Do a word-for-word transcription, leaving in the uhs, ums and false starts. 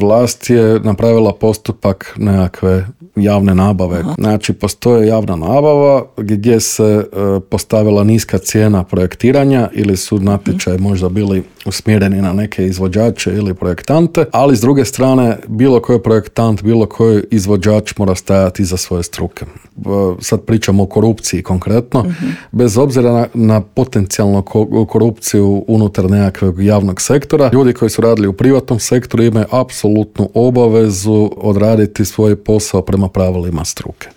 Vlast je napravila postupak nekakve javne nabave. Aha. Znači, postoje javna nabava gdje se e, postavila niska cijena projektiranja ili su natječaji hmm. možda bili usmjereni na neke izvođače ili projektante, ali s druge strane bilo koji projektant, bilo koji izvođač mora stajati iza svoje struke. E, sad pričamo o korupciji konkretno. Hmm. Bez obzira na, na potencijalnu korupciju unutar nekakvog javnog sektora, ljudi koji su radili u privatnom sektoru imaju apsolutnu obavezu odraditi svoj posao prema pravilima struke.